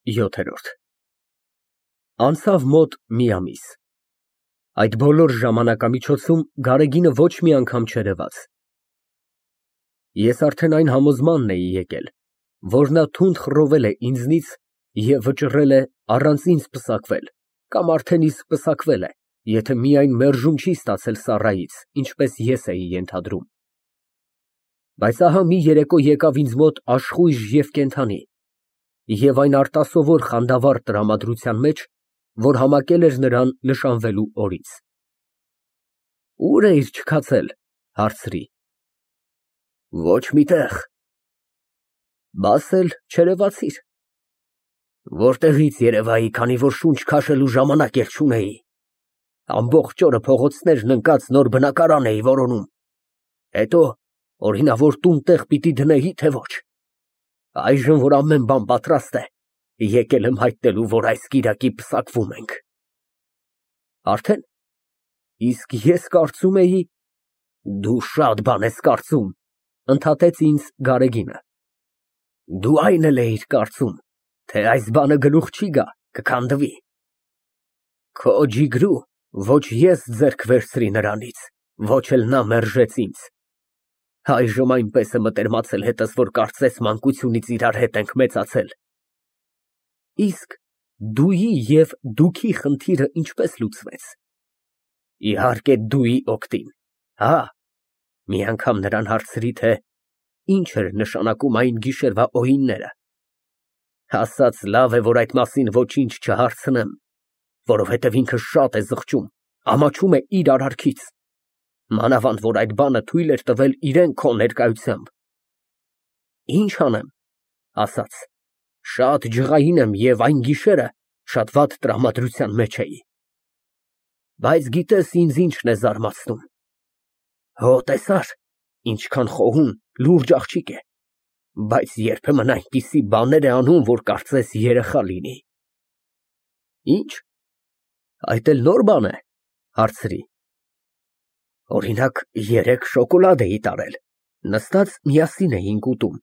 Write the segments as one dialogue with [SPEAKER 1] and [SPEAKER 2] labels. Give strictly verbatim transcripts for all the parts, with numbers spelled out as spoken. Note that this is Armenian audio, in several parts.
[SPEAKER 1] ՅՈԹԵՐՈՐԴ Անցավ մոտ մի ամիս, այդ բոլոր ժամանակամիջոցում Գարեգինը ոչ մի անգամ չերևաց։ Ես արդեն այն համոզմանն էի եկել, որ նա թունդ խռովել է ինձնից և վճռել է առանց ինձ պսակվել, կամ արդեն իսկ պսակվել է, եթե միայն մերժում չի ստացել Սառայից, ինչպես ես էի ենթադրում։ Բայց ահա մի երեկո եկավ ինձ մոտ աշխույժ և կենդանի, և այն արտասովոր խանդավառ տրամադրության մեջ, որ համակել էր նրան նշանվելու օրից։ Ո՞ւր էիր չքացել, հարցրի։ Ոչ մի տեղ։ Բաս էլ չերևացիր։ Որտեղի՞ց երևայի, քանի որ շունչ քաշելու ժամանակ էլ չունեի։ Ամբողջ օրը փողոցներն ընկած նոր բնակարան էի որոնում։ Հետո օրինավոր տուն֊տեղ պիտի դնեի, թե ոչ։ Այժմ, որ ամեն բան պատրաստ է, եկել եմ հայտնելու, որ այս կիրակի պսակվում ենք։ Արդեն։ Իսկ ես կարծում էի… Դու շատ բան ես կարծում, ընդհատեց ինձ Գարեգինը։ Դու այն էլ էիր կարծում, թե այս բանը գլուխ չի գա, կքանդվի։ Քո ջիգրու ոչ ես ձեռք վերցրի նրանից, ոչ էլ նա մերժեց ինձ։ Այժմ այնպես է մտերմացել հետս, որ կարծես մանկությունից իրար հետ ենք մեծացել։ Իսկ դուի և դուքի խնդիրը ինչպե՞ս լուծվեց։ Իհարկե դուի օգտին, հա։ Մի անգամ նրան հարցրի, թե ինչ էր նշանակում այն գիշերվա օյինները։ Ասաց լավ է, որ այդ մասին ոչինչ չհարցնեմ, որովհետև ինքը շատ է զղջում, ամաչում է իր արարքից, մանավանդ որ այդ բանը թույլ էր տվել իրան քո ներկայությամբ։ Ինչ անեմ, ասաց, շատ ջղային եմ և այն գիշերը շատ վատ տրամադրության մեջ էի։ Բայց գիտես ինձ ինչն է զարմացնում։ Հո, տեսար, ինչքան խոհուն, լուրջ աղջիկ է, բայց երբեմն այնպիսի բաներ է անում, որ կարծես երեխա լինի։ Ինչ, այդ էլ նոր բան է, հարցրի։ Օրինակ, երեկ շոկոլադ էի տարել, նստած միասին էինք ուտում։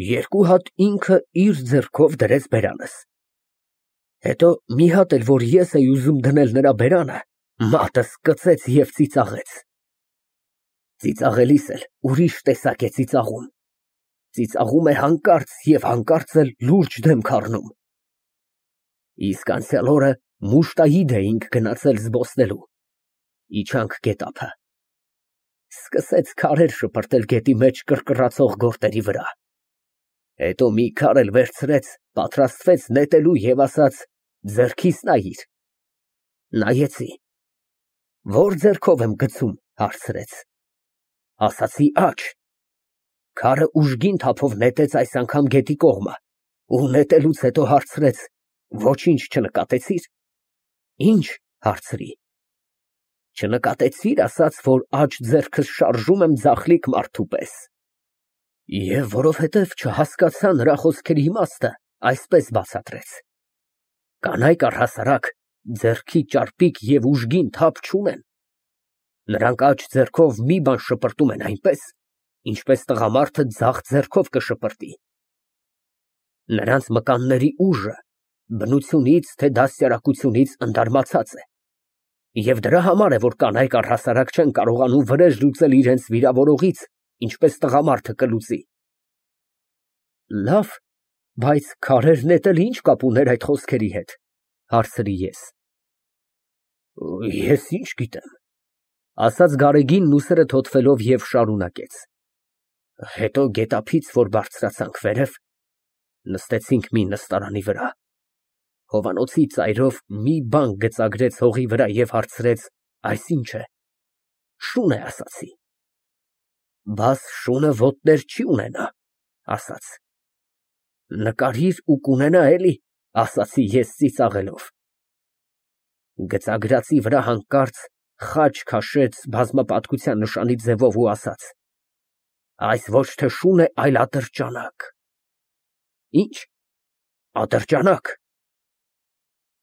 [SPEAKER 1] Երկու հատ ինքը իր ձեռքով դրեց բերանս։ Հետո մի հատ էլ, որ ես էի ուզում դնել նրա բերանը, մատս կծեց և ծիծաղեց։ Ծիծաղելիս էլ ուրիշ տեսակ է ծիծաղում։ Ծիծաղում է հանկարծ և հանկարծ էլ լուրջ դեմք առնում։ Իսկ անցյալ օրը Մուշտայիդ էինք գնացել զբոսնելու։ Իջանք գետափը։ Սկսեց քարեր շպրտել գետի մեջ կռկռացող գորտերի վրա։ Հետո մի քար էլ վերցրեց, պատրաստվեց նետելու և ասաց. ձեռքիս նայիր։ Նայեցի։ Ո՞ր ձեռքով եմ գցում, հարցրեց։ Ասացի աջ։ Քարը ուժգին թափով նետեց այս անգամ գետի կողմը ու նետելուց հետո հարցրեց. ոչինչ չնկատեցի՞ր։ Ինչ, հարցրի։ Չնկատեցի՞ր, ասաց, որ աջ ձեռքս շարժում եմ ձախլիկ մարդու պես։ Եվ որովհետև չհասկացա նրա խոսքերի իմաստը, այսպես բացատրեց. կանայք առհասարակ ձեռքի ճարպիկ և ուժգին թափ չունեն։ Նրանք աջ ձեռքով մի բան շպրտում են այնպես, ինչպես տղամարդը ձախ ձեռքով կշպրտի։ Նրանց մկանների ուժը բնությունից, թե դաստիարակությունից ընդարմացած է։ Եվ դրա համար է, որ կանայք առհասարակ չեն կարողանում վրեժ լուծել իրենց վիրավորողից, ինչպես տղամարդը կլուծի։ Լավ, բայց քարեր նետելը ինչ կապ ուներ այդ խոսքերի հետ, հարցրի ես։ Ես ինչ գիտեմ, ասաց Գարեգինն ուսերը թոթվելով և շարունակեց։ Հետո գետափից, որ բարձրացանք վերև, նստեցինք մի նստարանի վրա։ Հովանոցի ծայրով մի բան գծագրեց հողի վրա և հարցրեց. այս ինչ է։ Շուն է, ասացի։ Բաս շունը ոտներ չի ունենա, ասաց։ Նկարիր ու կունենա էլի, ասացի ես ծիծաղելով։ Գծագրածի վրա հանկարծ խաչ քաշեց բազմապատկության նշանի ձևով ու ասաց. այս ոչ թե շուն է, այլ ատրճանակ։ Ինչ, ատրճանակ։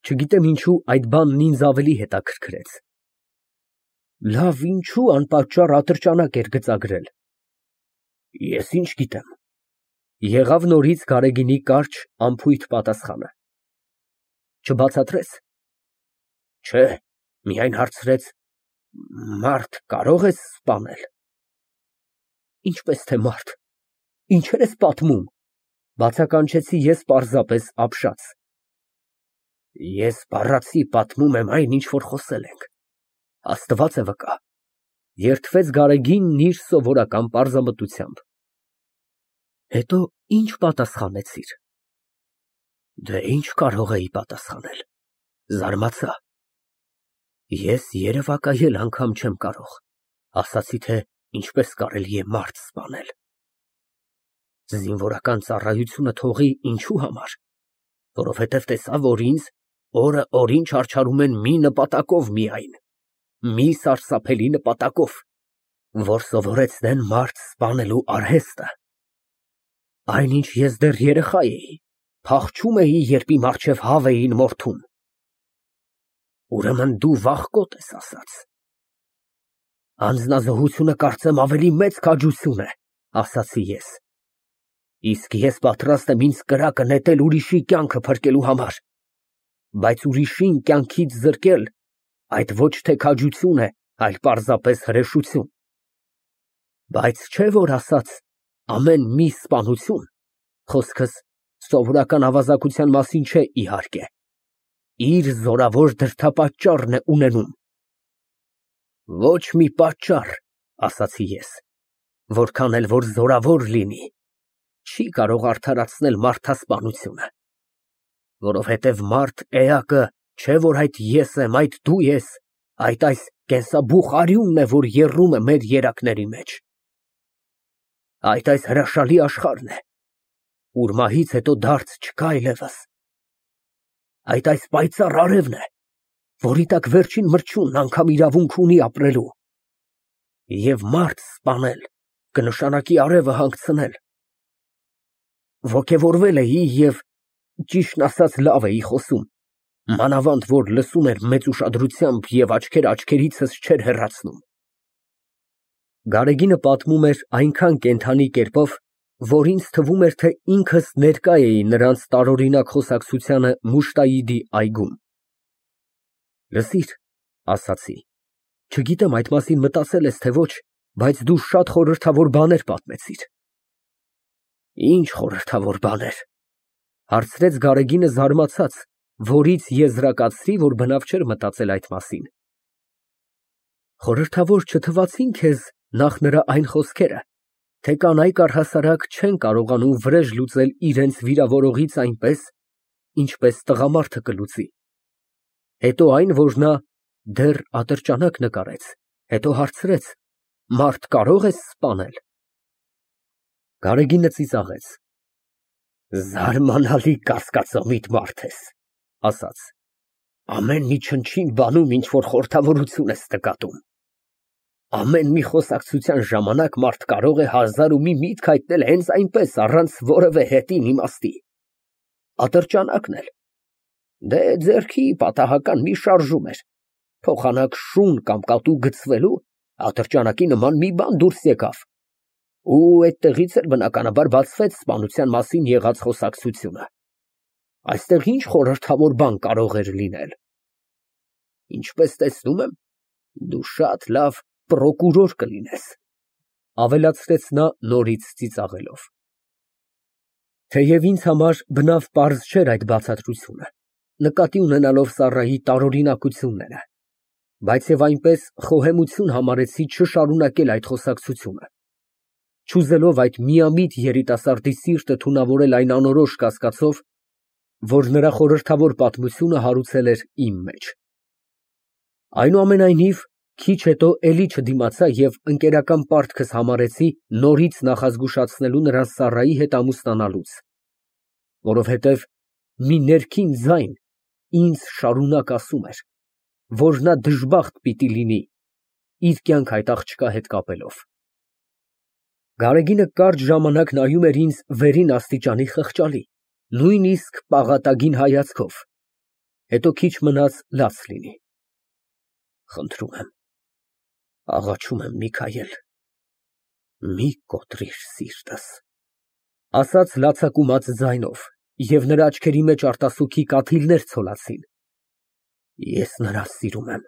[SPEAKER 1] Չգիտեմ ինչու այդ բանն ինձ ավելի հետաքրքրեց։ Լավ, ինչու անպատճառ ատրճանակ էր գծագրել։ Ես ինչ գիտեմ։ Եղավ նորից Գարեգինի կարճ, անփույթ պատասխանը։ Չբացատրես։ Չէ, միայն հարցրեց. «Մարդ կարո՞ղ ես սպանել»։ Ինչպես թե մարդ, ինչեր ես պատմում, բացականչեցի ես պարզապես ապշած։ Ես բառացի պատմում եմ այն, ինչ որ խոսել ենք, Աստված է վկա, երդվեց Գարեգինն իր սովորական պարզամտությամբ։ Հետո ինչ պատասխանեցիր։ Դե ինչ կարող էի պատասխանել, զարմացա։ Ես երևակայել անգամ չեմ կարող, ասացի, թե ինչպես կարելի է մարդ սպանել։ Զինվորական ծառայությունը թողի ինչու համար, որովհետև տեսա, որ ինձ օրը օրին չարչարում են մի նպատակով միայն, մի սարսափելի նպատակով, որ սովորեցնեն մարդ սպանելու արհեստը։ Այնինչ ես դեռ երեխա էի, փախչում էի, երբ իմ առջև հավ էին մորթում։ Ուրեմն դու վախկոտ ես ասած։ Անձնազոհությունը կարծեմ ավելի մեծ քաջություն է, ասացի ես։ Իսկ ես պատրաստ եմ ինձ կրակը նետել ուրիշի կյանքը փրկելու համար, բայց ուրիշին կյանքից զրկել, այդ ոչ թե քաջություն է, այլ պարզապես հրեշություն։ Բայց չէ որ ասած, ամեն մի սպանություն, խոսքս սովորական ավազակության մասին չէ, իհարկե, իր զորավոր դրդապատճառն է ունենում։ Ոչ մի պատճառ, ասացի ես, որքան էլ որ զորավոր լինի, չի կարող արդարացնել մարդասպանությունը, որովհետև մարդ էակը չէ որ այդ ես եմ, այդ դու ես, այդ այս կենսաբուխ արյունն է, որ եռում է մեր երակների մեջ։ Այդ այս հրաշալի աշխարհն է, ուր մահից հետո դարձ չկա այլևս։ Այդ այս պայծառ արևն է, որի տակ վերջին մրջյունն անգամ իրավունք ունի ապրելու։ Եվ մարդ սպանել կնշանակի արևը հանգցնել։ Ոգևորվել էի և, ճիշտն ասած, լավ էի խոսում, մանավանդ որ լսում էր մեծ ուշադրությամբ և աչքերը աչքերիցս չէր հեռացնում։ Գարեգինը պատմում էր այնքան կենդանի կերպով, որ ինձ թվում էր, թե ինքս ներկա էի նրանց տարօրինակ խոսակցությանը Մուշտայիդի այգում։ Լսիր, ասացի, չգիտեմ այդ մասին մտածել ես թե ոչ, բայց դու շատ խորհրդավոր բաներ պատմեցիր։ Ինչ խորհրդավոր բաներ, հարցրեց Գարեգինը զարմացած, որից եզրակացրի, որ բնավ չէր մտածել այդ մասին։ Խորհրդավոր չթվացին քեզ նախ նրա այն խոսքերը, թե կանայք առհասարակ չեն կարողանում վրեժ լուծել իրենց վիրավորողից այնպես, ինչպես տղամարդը կլուծի։ Հետո այն, որ նա դեռ ատրճանակ նկարեց, հետո հարցրեց. մարդ կարո՞ղ ես սպանել։ Գարեգինը ծիծաղեց։ Զարմանալի կասկածամիտ մարդ ես, ասաց, ամեն մի չնչին բանում ինչ որ խորհրդավորություն ես նկատում։ Ամեն մի խոսակցության ժամանակ մարդ կարող է հազար ու մի միտք հայտնել հենց այնպես, առանց որևէ հետին իմաստի։ Ատրճանակն էլ։ Դե ձեռքի պատահական մի շարժում էր, փոխանակ շուն կամ կատու գցվելու, ատրճանակի նման մի բան դուրս եկավ, ու այդտեղից էլ բնականաբար բացվեց սպանության մասին եղած խոսակցությունը։ Այստեղ ինչ խորհրդավոր բան կարող էր լինել։ Ինչպես տեսնում եմ, դու շատ լավ պրոկուրոր կլինես, ավելացրեց նա նորից ծիծաղելով։ Թեև ինձ համար բնավ պարզ չէր այդ բացատրությունը, նկատի ունենալով Սառայի տարօրինակությունները, բայց և այնպես խոհեմություն համարեցի չշարունակել այդ խոսակցությունը, չուզելով այդ միամիտ երիտասարդի սիրտը թունավորել այն անորոշ կասկածով, որ նրա խորհրդավոր պատմությունը հարուցել էր իմ մեջ։ Այնուամենայնիվ, քիչ հետո էլի չդիմացա և ընկերական պարտքս համարեցի նորից նախազգուշացնելու նրան Սառայի հետ ամուսնանալուց, որովհետև մի ներքին ձայն ինձ շարունակ ասում էր, որ նա դժբախտ պիտի լինի իր կյանք այդ աղջկա հետ կապելով։ Գարեգինը կարճ ժամանակ նայում էր ինձ վերին աստիճանի խղճալի, նույնիսկ պաղատագին հայացքով, հետո քիչ մնաց լաց լինի։ Խնդրում եմ, աղաչում եմ, Միքայել, մի կոտրիր սիրտս։ Ասաց լացակումած ձայնով, և նրա աչքերի մեջ արտասուքի կաթիլներ ցոլացին։ Ես նրան սիրում եմ,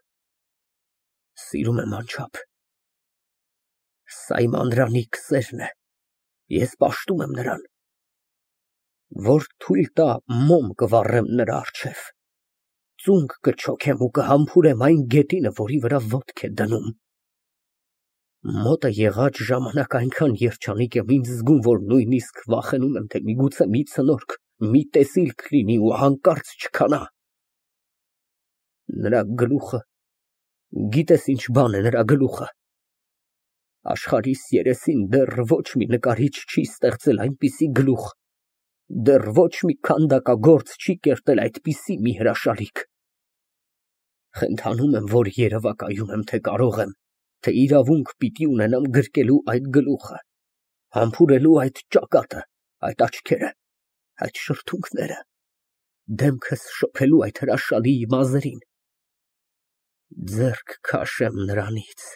[SPEAKER 1] սիրում եմ անչափ։ Սա իմ անդրանիկ սերն է, ես պաշտում եմ նրան, որ թույլ տա մոմ կվառեմ նրա առջև, ծունկ կչոքեմ ու կհամբուրեմ այն գետինը, որի վրա ոտք է դնում։ Մոտը եղած ժամանակ այնքան երջանիկ եմ ինձ զգում, որ նույնիսկ վախենում եմ, թե միգուցե մի ցնորք, մի տեսիլք լինի ու հանկարծ չքանա։ Նրա գլուխը, գիտես ինչ բան է նրա գլուխը։ Աշխարհիս երեսին դեռ ոչ մի նկարիչ չի ստեղծել այնպիսի գլուխ, դեռ ոչ մի քանդակագործ չի կերտել այդպիսի մի հրաշալիք։ Խնդանում եմ, որ երևակայում եմ, թե կարող եմ, թե իրավունք պիտի ունենամ գրկելու այդ գլուխը, համբուրելու այդ ճակատը, այդ աչքերը, այդ շրթունքները, դեմքս շփելու այդ հրաշալի մազերին, ձեռք քաշեմ նրանից,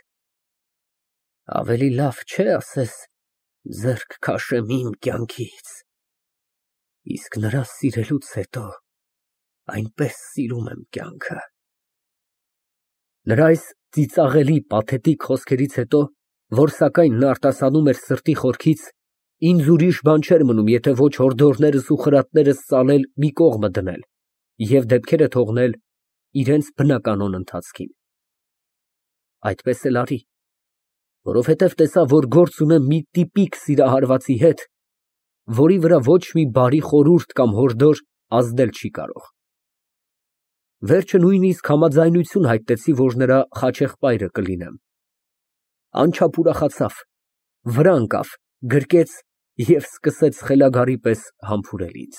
[SPEAKER 1] ավելի լավ չէ ասես, ձեռք քաշեմ իմ կյանքից, իսկ նրա սիրելուց հետո այնպես սիրում եմ կյանքը։ Նրա այս ծիծաղելի, պաթետիկ խոսքերից հետո, որ սակայն նա արտասանում էր սրտի խորքից, ինձ ուրիշ բան չէր մնում, եթե ոչ հորդորներս ու խրատներս ծալել մի կողմը դնել և դեպքերը թողնել իրենց բնականոն ընթացքին։ Այդպես էլ արի, որովհետև տեսա, որ գործ ունեմ մի տիպիկ սիրահարվածի հետ, որի վրա ոչ մի բարի խորհուրդ կամ հորդոր ազդել չի կարող։ Վերջը նույնիսկ համաձայնություն հայտնեցի, որ նրա խաչեղբայրը կլինեմ։ Անչափ ուրախացավ, վրա ընկավ, գրկեց և սկսեց խելագարի պես համբուրել ինձ։